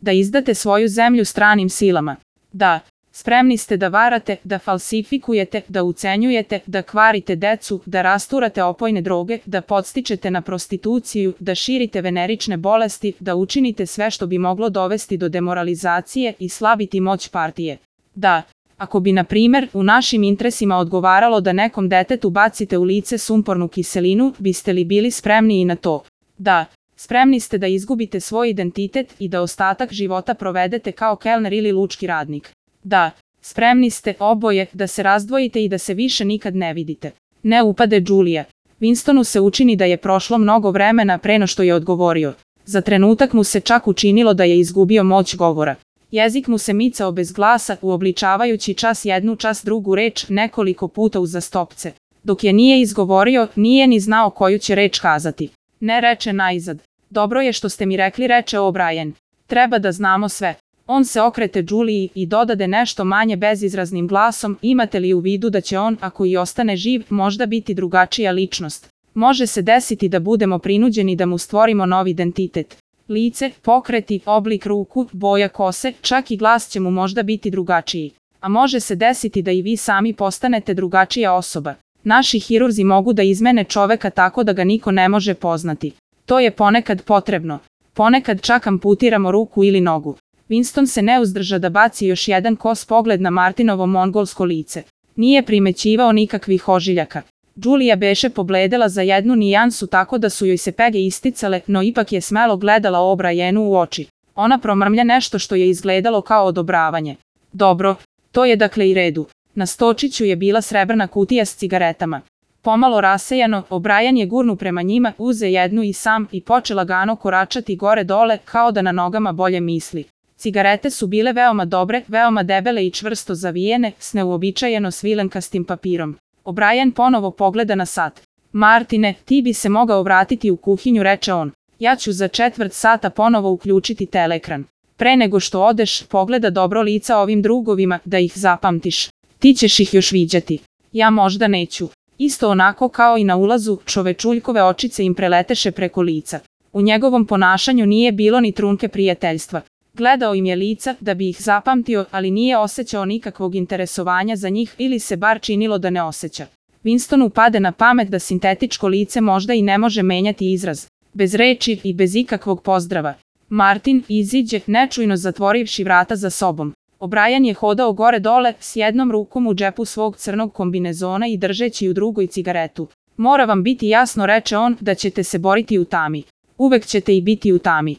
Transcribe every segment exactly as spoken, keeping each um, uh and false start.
Da izdate svoju zemlju stranim silama. Da, spremni ste da varate, da falsifikujete, da ucenjujete, da kvarite decu, da rasturate opojne droge, da podstičete na prostituciju, da širite venerične bolesti, da učinite sve što bi moglo dovesti do demoralizacije i slabiti moć partije. Da, ako bi, na primer, u našim interesima odgovaralo da nekom detetu bacite u lice sumpornu kiselinu, biste li bili spremni i na to? Da, spremni ste da izgubite svoj identitet i da ostatak života provedete kao kelner ili lučki radnik. Da, spremni ste, oboje, da se razdvojite i da se više nikad ne vidite. Ne upade Julija. Winstonu se učini da je prošlo mnogo vremena pre no što je odgovorio. Za trenutak mu se čak učinilo da je izgubio moć govora. Jezik mu se micao bez glasa, uobličavajući čas jednu, čas drugu reč nekoliko puta uzastopce. Dok je nije izgovorio, nije ni znao koju će reč kazati. Ne, reče najzad. Dobro je što ste mi rekli, reče O'Brien. Treba da znamo sve. On se okrete Juliji i dodade nešto manje bezizraznim glasom, imate li u vidu da će on, ako i ostane živ, možda biti drugačija ličnost. Može se desiti da budemo prinuđeni da mu stvorimo novi identitet. Lice, pokreti, oblik ruku, boja kose, čak i glas će mu možda biti drugačiji. A može se desiti da i vi sami postanete drugačija osoba. Naši hirurzi mogu da izmene čoveka tako da ga niko ne može poznati. To je ponekad potrebno. Ponekad čak amputiramo ruku ili nogu. Winston se ne uzdrža da baci još jedan kos pogled na Martinovo mongolsko lice. Nije primećivao nikakvih ožiljaka. Julija beše pobledela za jednu nijansu tako da su joj se pege isticale, no ipak je smelo gledala O'Brienu u oči. Ona promrmlja nešto što je izgledalo kao odobravanje. Dobro, to je dakle i redu. Na stočiću je bila srebrna kutija s cigaretama. Pomalo rasejano, O'Brien je gurnu prema njima, uze jednu i sam i poče lagano koračati gore dole kao da na nogama bolje misli. Cigarete su bile veoma dobre, veoma debele i čvrsto zavijene, s neuobičajeno svilenkastim papirom. O'Brien ponovo pogleda na sat. Martine, ti bi se mogao vratiti u kuhinju, reče on. Ja ću za četvrt sata ponovo uključiti teleekran. Pre nego što odeš, pogleda dobro lica ovim drugovima, da ih zapamtiš. Ti ćeš ih još viđati. Ja možda neću. Isto onako kao i na ulazu, čovečuljkove očice im preleteše preko lica. U njegovom ponašanju nije bilo ni trunke prijateljstva. Gledao im je lica da bi ih zapamtio, ali nije osjećao nikakvog interesovanja za njih ili se bar činilo da ne osjeća. Winstonu pade na pamet da sintetičko lice možda i ne može menjati izraz. Bez reči i bez ikakvog pozdrava. Martin iziđe, nečujno zatvorivši vrata za sobom. O'Brien je hodao gore dole, s jednom rukom u džepu svog crnog kombinezona i držeći u drugoj cigaretu. Mora vam biti jasno, reče on, da ćete se boriti u tami. Uvek ćete i biti u tami.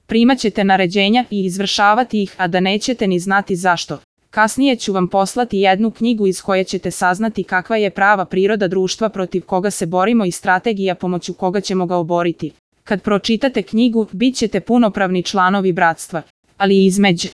Primaćete naređenja i izvršavati ih, a da nećete ni znati zašto. Kasnije ću vam poslati jednu knjigu iz koje ćete saznati kakva je prava priroda društva protiv koga se borimo i strategija pomoću koga ćemo ga oboriti. Kad pročitate knjigu, bit ćete punopravni članovi bratstva. Ali između